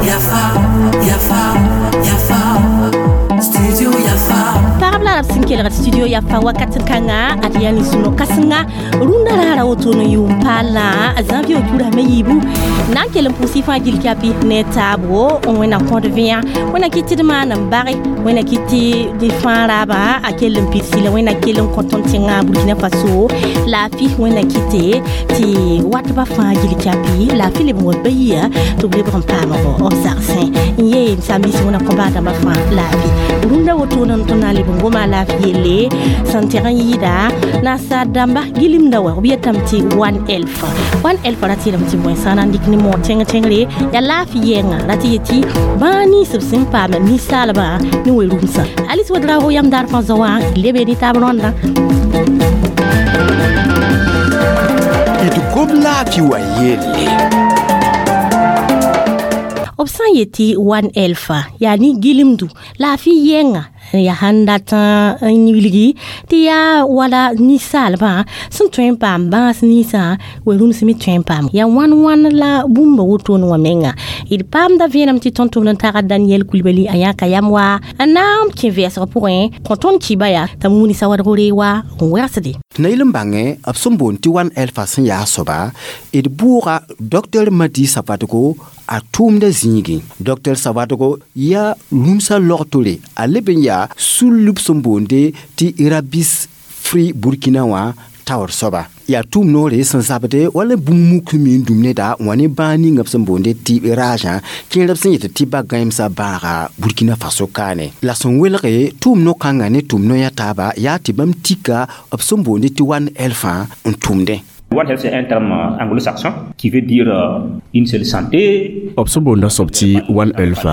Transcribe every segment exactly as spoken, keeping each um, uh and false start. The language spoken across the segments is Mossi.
Yafa, Yafa, Yafa, Studio Yafa. Pagb la b sẽn kelgd Studio Yafa wakat kãnga ad yaa nin-sõno kãsenga rũndã raara woto n yʋʋm paala janvier turame yiibu na n kell n pʋʋs y fãa gill kapi ne taabo n wẽnna kõd vẽa wẽnna kɩt tɩ d maan n bage wẽnna kɩt tɩ d fãa raaba a kell n pidsi la wẽnna kell n kõ tõnd tẽngã Burkina Faso laafɩ wẽnna kɩte tɩ watba fãa gill kapi laafɩ leb n wa bayiya tɩ b lebg n paamg b zagsẽ n yee saam-biis wẽnna kõ baa-dãmbã fãa laafɩ rũndã wotone n tõnd na n leb n goma laafɩ yelle sẽn tẽg n yɩɩda nasaar dãmba gilimda wa b yetame tɩ One Health. One Health ra tɩ tɩ bõe sã n na n dɩk ne moog tẽng tẽngre yaa laafɩ yɛɛngã ra tɩ yetɩ bãa nins b sẽn paam ninsaalbã ne we-rũmsã Alice Ouedraogo yam daar fãa zao wã lebe ne taab rõndã. D gom laafɩ wa yelle. B sã n yetɩ One Health yaa ne gilimdu laafɩ yɛɛngã yaa sãn dat n wilgi tɩ yaa wala ninsaalbã sẽn tõe n paam bãas ninsã we-rũms me tõe n paam yaa wãn wãn la bũmba wotone wã menga d paamda vẽenem tɩ tõnd tʋmd n tagd Daniel Coulibaly a yãka yam wa n na n kẽ vɛɛsg pʋgẽ kõ tõnd kiba yaa t'a muuni sawadg reewa n wɛgsde. Tɩ na yel n bãngẽ b sẽn boond tɩ One Health sẽn yaa soaba d bʋʋga Docteur Madi Savadogo a tʋʋmda zĩigẽ. Docteur Savadogo yaa rũmsã logtore a leb n yaa sul b sẽn boonde tɩ Rabies Free Burkina wã taoor soaba yaa tʋʋm noore sẽn zabde wala bũmb muk sẽn mi n dũm neda n wa ne bãag ninga b sẽn boonde tɩ ragã kẽer b sẽn yetɩ tɩ ba gãemsã bãaga Burkina Faso kaane la sẽn welge tʋʋm no-kãngã ne tʋʋm no-yã taaba yaa tɩ bãmb tika b sẽn boonde tɩ One Health n tʋmdẽ. One Health, c'est un terme anglo-saxon qui veut dire une seule santé. B sẽn boonda soab tɩ One Health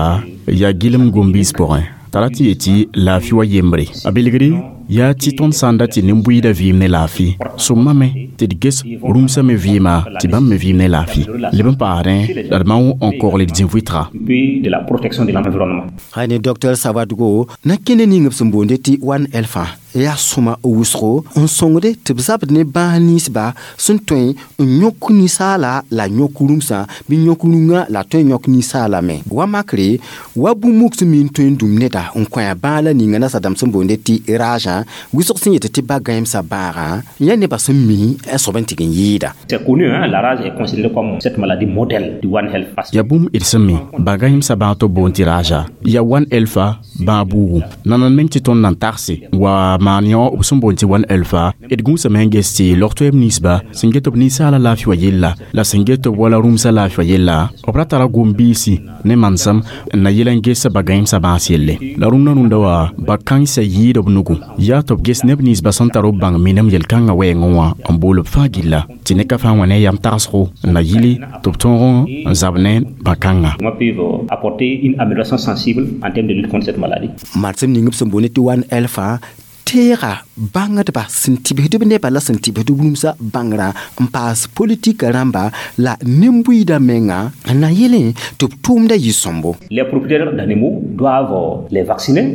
yaa gilem gom-biis pʋgẽ t'a ra tɩ yetɩ laafɩ wa yembre a belgre yaa tɩ tõnd sã n dat tɩ nin-buiidã vɩɩm ne laafɩ sõmame tɩ d ges rũmsã me vɩɩma tɩ bãmb me vɩɩm ne laafɩ leb n paasdẽ la d mao n kogl d zĩ-vɩtga. Puis de la protection de l'environnement. Ne Docteur Savadogo na kẽne ning b sẽn boonde tɩ One Health yaa sõma wʋsgo n sõngde tɩ b zabd ne bãas ninsba sẽn tõe n yõk ninsaala la yõk rũmsã bɩ yõk rũngã la tõe n yõk ninsaala me wa makre wa bũmb muk sẽn mi n tõe n dũm neda n kõ a bãag la ninga nasadãmb sẽn boonde tɩ ragã wʋsg sẽn yetɩ tɩ ba gãemsã bãagã yã nebã sẽn mi a soab n tɩg n yɩɩda. C'est connu, hein, la rage est considérée comme cette maladie modèle du One Health. Parce que yaa bũmb d sẽn mi ba-gãemsã bãag tɩ b boond tɩ raja yaa One Health bãag buugu nanand meng tɩ tõnd nan tagse wa maan yõ b sẽn boond tɩ One Health d gũusame n ges tɩ log-toɛɛb ninsba sẽn get b ninsaala laafɩ wã yella la sẽn get b wala rũmsã laafɩ wã yella b ra tara gom-biisi ne mansem n na yel n ges ba-gãemsã bãas yelle la rũndã rũndã wã ba-kãensã yɩɩd b nugu yaa tɩ b ges neb ninsba sẽn tar b bãng minem yel-kãngã wɛɛngẽ wã n bool b fãa gilla tɩ ne ka fãa wã ne yam tagsgo n na yili tɩ b tõog n zab ne bã-kãnga. Comment peuvent apporter une amélioration sensible en termes de lutte contre cette maladie. Marsem ning b sẽn boonde tɩ One Health teega bãngdba sẽn tɩbsd b nebã la sẽn tɩbsd rũmsã bãngrã n paas politika rãmba la nin-buiidã menga n na yelẽ tɩ b tʋʋmda yɩ sõmbo. Les propriétaires d'animaux doivent les vacciner.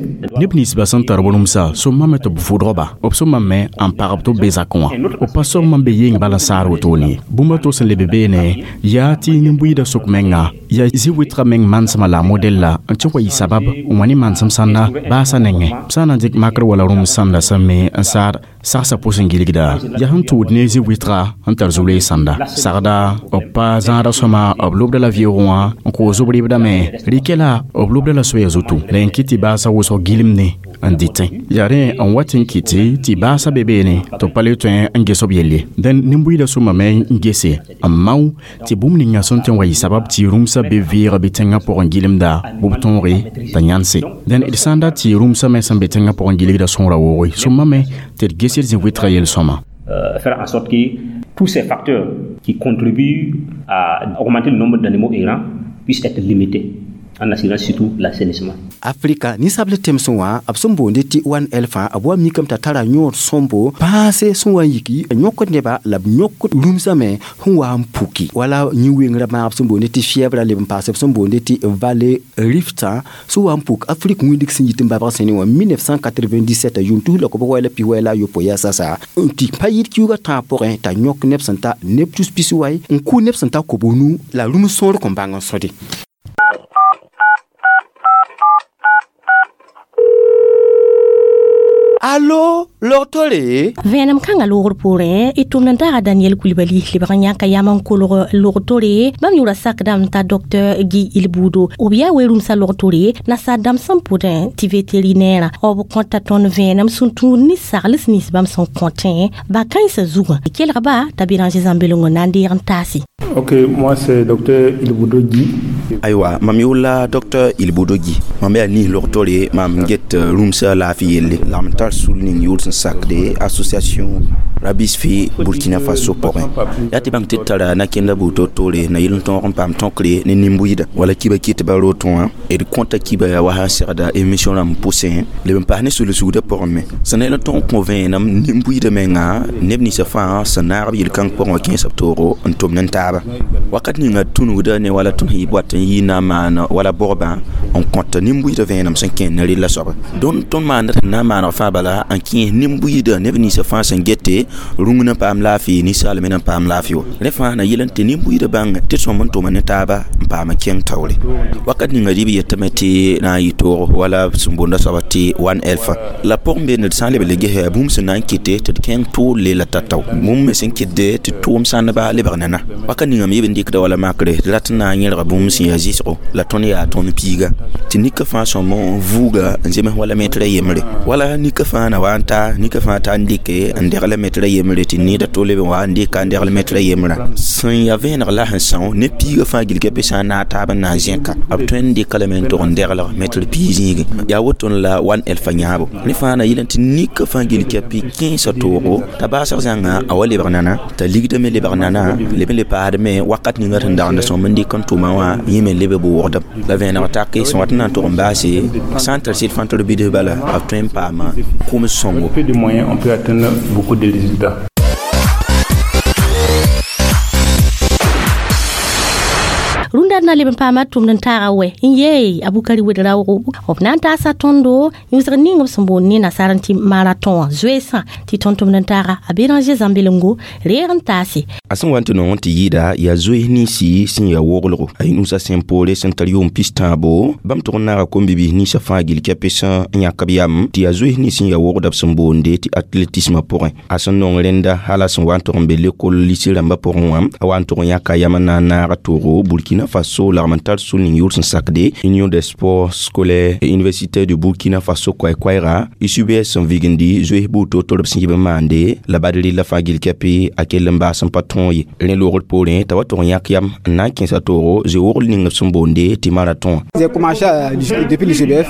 Neb ninsba sẽn tar b rũmsã sõmame tɩ b vʋdg-ba b sõmame n pagb tɩ b be zakẽ wã b pa sõm n be yeng bala n saar wotone ye bũmb a to sẽn leb beene yaa tɩ nin-buiidã sʋk menga yaa zĩ-wɩtgã meng mansẽma la a modɛl la n tɩ wa yɩ sabab n wa ne mansem sãnda baasã nengẽ b sã n na n dɩk makr wala rũms sãnda sẽn me n saad sagsã pʋs n gilgda yaa sẽn tʋʋd ne zĩ-wɩtga n tar zu-loees sãnda sagda b pa zãada sõma b lobda la vɩʋʋgẽ wã n koos b rɩbdame rɩkɛ la b lobda la soɛɛ zutu la n kɩt tɩ baasã wʋsg gilemne n dɩtẽ yaa rẽ n wat n kɩtɩ tɩ baasã be beene tɩ b pa le tõe n ges b yelle dẽn nin-buiidã sõmame n gese n mao tɩ bũmb ninga sẽn tõe n wa yɩ sabab tɩ rũmsã be vɩɩg bɩ tẽngã pʋgẽ gilemda bɩ b tõoge t'a yãnse dẽn d sã n dat tɩ rũmsã me sẽn be tẽngã pʋgẽ gilgda sõora wooge sõmame tɩ d ges d zĩ-wɩtgã yel-sõma. Euh, faire en sorte que tous ces facteurs qui contribuent à augmenter le nombre d'animaux errants puissent être limités. en assurant surtout l'assainissement. Afrika ninsab le tẽmsẽ wã b sẽn boonde tɩ One Health b wa mikame t'a tara yõod sõmbo pãase sẽn wa n yiki yõkd neba la b yõk rũmsame sẽn wa n puki wala yĩ-wengrã maag b sẽn boonde tɩ fièvre leb n paas b sẽn boonde tɩ vallée Rift sẽn wa n puk Afrik wĩndg sẽn yit n babg sẽne wã mille neuf cent quatre-vingt-dix-sept yʋʋm tus la kob wɛ la pis wɛ la a yopoe yaa sasa n tɩ pa yɩd kiuugã tãag pʋgẽ t'a yõk neb sẽn ta neb tus pis wai n kʋ neb sẽn ta kob-nu la rũm sõor kõn bãng n sõde. Allo, logtore? Vẽenem kãngã loogr poorẽ y tʋmd n taaga Daniel Coulibaly lebg n yãka yam n kolg logtore bãmb yʋʋra sakdame t'a docteur Guy Ilbudo b yaa we-rũmsã logtore nasaar dãmb sẽn pʋdẽ tɩ vétérinaire b kõta tõnd vẽenem sẽn tũud ne sagls nins bãmb sẽn kõtẽ ba-kãensã zugã kelgba t'a Béranger Zãmbelengõ na n deeg n taase. Ok, moi c'est docteur Ilbudo Guy. Aywa, mam yʋʋla docteur Ilbudo Guy. Mam yaa nis logtore mam get rũmsã laafɩ yelle la m tar sul ning yʋʋl sẽn sakde association Rabis fi Burkina Faso pʋgẽ yaa tɩ bãng tɩ d tara na-kẽndã buud to-toore na yel n tõog n paam tõkre ne nin-buiida wala kiba kɩt ba rotõ wã d kõta kiba yaa wa sã n segda émission rãmb pʋsẽ leb n paas ne sul-sugdã pʋgẽ me sẽn na yel n tõog n kõ vẽenem nin-buiidã menga neb ninsã fãa sẽn naag b yel-kãng pʋgẽ wã kẽesa b toogo n tʋm ne taaba wakat ninga tũnugda ne wala tõnd sẽn yɩ boat n yɩ na n maan wala bʋgbã n kõta nin-buiidã vẽenem sẽn kẽer ne rella soaba dõnd tõnd maanda tɩ na n maaneg fãa bala n kẽes nin-buiidã neb ninsã fãa sẽn gete rũng na paam laafɩ ninsaal me na n paam laafɩ wa rẽ fãa na yel n tɩ nin-buiidã bãng tɩ sõm n tʋma ne taaba n paam kẽng taoore wakat ninga rɩ b yetame tɩ na n yɩ toog wala sẽn boonda soaba tɩ One Health la pʋgẽ beene d sã n leb le gesa bũmb sẽn na n kɩte tɩ d kẽng tʋʋl le la tatao bũmb me sẽn kɩtde tɩ tʋʋm sãndba lebg nana wakat ninga me yeb n dɩkda wala makre d rat n na n yẽlga bũmb sẽn yaa zɩsgo la tõnd yaa tõnd piiga tɩ nika fãa sõm n vuuga n zems wala metra yembre wala nika fãa na wa n ta nika fãa ta n dɩke n degla metra yembre tɩ needa to leb n wa n dɩka n degl metra yembrã sẽn yaa vẽeneg la sẽn são ne piigã fãa gilga be sã n naag taab n na n zẽka b tõe n dɩka lame n tog n deglg metr piig zĩigẽ yaa woto la One Health yãabo rẽ fãa na yel n tɩ nika fãa gil kɛpɩ kẽesã toogo t'a baasg zãnga a wa lebg nana t'a ligdã me lebg nana leb n le paasdme wakat ninga sẽn dagenda sõm n dɩk n tʋma wã yẽ me leb b wʋgdem la vẽeneg take sẽn wat n na n tog n baase sã n tar sɩd fãa tɩ d bɩds bala b tõe n paama kʋms sõngo. Peu de moyens, on peut atteindre beaucoup de résultats. Rũndã na leb n paama tʋmd n taaga wɛ n yee Abukari wed-raoogo b na n taasa tõndo yũsg ning b sẽn boond ne nasaar n tɩ marathon wã zoeesã tɩ tõnd tʋmd n taaga a Béranger Zãmbelengo reeg n taase. A sẽn wa n tɩ nong n tɩ yɩɩda yaa zoees ninsi sẽn yaa woglgo a yĩnusa sẽn poore sẽn tar yʋʋm pis-tãabo bãmb tʋg n naaga kom-bibiis ninsã fãa gil kɛpɩ sẽn yãk b yam tɩ yaa zoees nins sẽn yaa wogda b sẽn boonde tɩ athlétisme pʋgẽ a sẽn nong rẽnda hala sẽn wa n tʋg n be lekol lise rãmbã pʋgẽ wã a wa n tʋg n yãka yam n na n naag toogo Burkina Faso lagm n tar sul ning yʋʋr sẽn sakde Union des sports scolaires et universitaires du Burkina Faso koɛɛ-koɛɛga U C B S sẽn vigndi zoees buud to-to b sẽn yib n maande la bad rɩlla fãa gil kɛpɩ a kell n baas n pa tõog ye rẽ loogr poorẽ t'a wa tʋg n yãk yam n na n kẽesa toogo zoe-wogl ning b sẽn boonde tɩ marathon.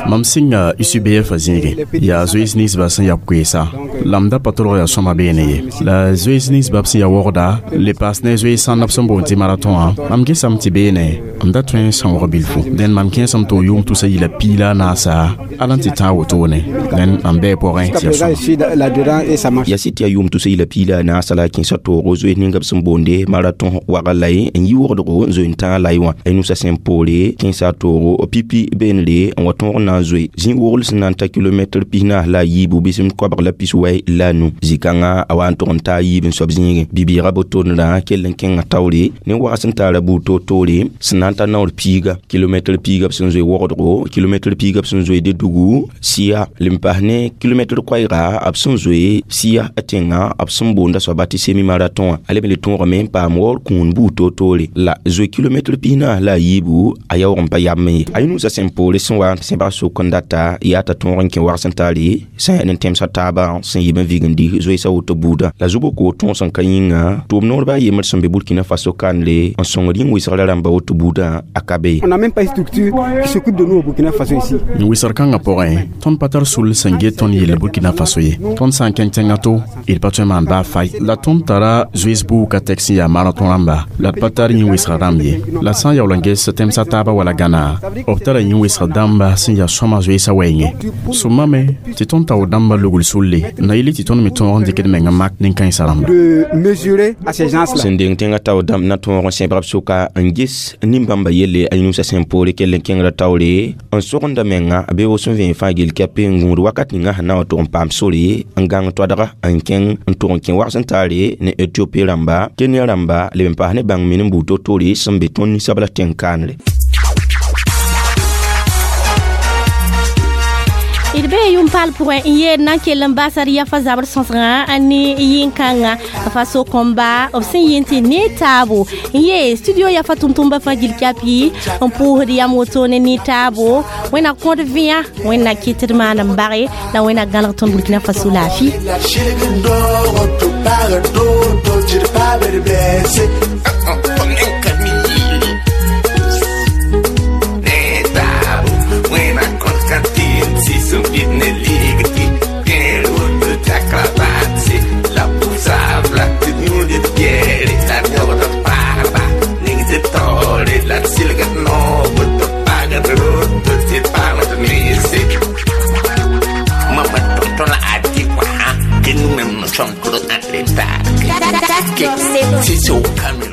Mam sɩnga U C B F zĩigẽ yaa zoees ninsbã sẽn yaa koeesa la m da pa tolg yaa sõma beene ye la zoees ninsbã b sẽn yaa wogda le paas ne zoees sãnd b sẽn boond tɩ marathon wã mam gesame tɩ beene m da tõe n sãoog bilfu dẽn mam kẽesame tɩ yʋʋm tusa yila piig la a naasa ala n tɩ tãag wotone dẽn mam bɩ pʋgẽ tɩ yaa sõma. Yaa sɩd tɩ yaa yʋʋm tusa yila piig la a naasa la a kẽesa toogo zoees ninga b sẽn boonde marathon waga lay n yi wogdgo n zoe n tãag lay wã a nusa sẽn poore kẽesa toogo pipi beenre n wa tõog n na n zoe zĩ-wogl sẽn na n ta kilomɛtr pis-naas la a yiibu bɩsem koabg la pis-wɛ la a nu zĩ-kãngã a wa n tʋg n taa yiib n soab zĩigẽ bi-bɩɩgã bo-tondrã kell n kẽngã taoore ne wags sẽn taara buud to-toore sẽn na n ta naoor piiga kilomɛtr piiga b sẽn zoe wogdgo kilomɛtr piiga b sẽn zoe de-dugu sɩya le n paas ne kilomɛtr koɛɛga b sẽn zoe sɩya tẽngã b sẽn boonda soaba tɩ semi-marathon wã a leb n le tõogame n paam waoor kũun buud to-toore la zoe kilomɛtr pis-naas la a yiibu a yaoog n pa yam ye a yĩnusa sẽn poore sẽn wa sẽbg sʋk n data yaa t'a tõog n kẽ wags n taare sẽn yaa nin-tẽmsã taabã sẽn yib n vigndi zoeesã woto buudã la zu-boko tõog sẽn ka yĩnga tʋʋm noor baa yembr sẽn be Burkina Faso kandre n sõngd yĩn wɩsgrã rãmba woto buudã. buudã a ka be. On n'a même pas une structure qui s'occupe de nous au Burkina Faso ici. Wɩsg kãngã pʋgẽ, tõnd pa tar sul sẽn get tõnd yell Burkina Faso ye. Tõnd sã n kẽng tẽngã to, d pa tõe n maan baa fay. La tõnd tara zoees buugã tɛk sẽn yaa marã tõ rãmba, la d pa tar yĩn-wɩsg rãmb ye. La sã n yaool n ges tẽmsã taabã wala Gãna, b tara yĩn-wɩsg dãmba sẽn yaa sõma zoeesã wɛɛngẽ. Sõmame tɩ tõnd tao dãmbã lugl sulle na yɩl tɩ tõnd me tõog n dɩkd meng n mak nin-kãensã rãmba. De mesurer à ces gens-là. Sẽn deng tẽngã tao dãmb na tõog n sẽbg b sʋka n ges nin-bãmba yelle a yĩnusã sẽn poore kell n kẽngrã taoore n sogenda menga bɩ b sẽn vẽen fãa gill kɛp n gũud wakat ninga sẽn na n wa tʋg n paam sore n gãng toadga n kẽng n tʋg n kẽ wags n taare ne Etiopi rãmba, Kenya rãmba, leb n paas ne bãng min n buud to-toore sẽn be tõnd ninsabla tẽn-kaanre. D bee yʋm-paal pʋgẽ n yeel na n kell n basd yafa zabr sõsgã ne yĩn-kãngã faso kõmba b sẽn yɩ tɩ ne taabo n yee studio yafa tʋm-tʋmba fãa gill kapi n pʋʋsd yam wotone ne taabo. Wẽnna kõd vẽa, Wẽnna kɩt d maan n bage la Wẽnna gãlg tõnd Burkina Faso laafɩ. C'est au camion.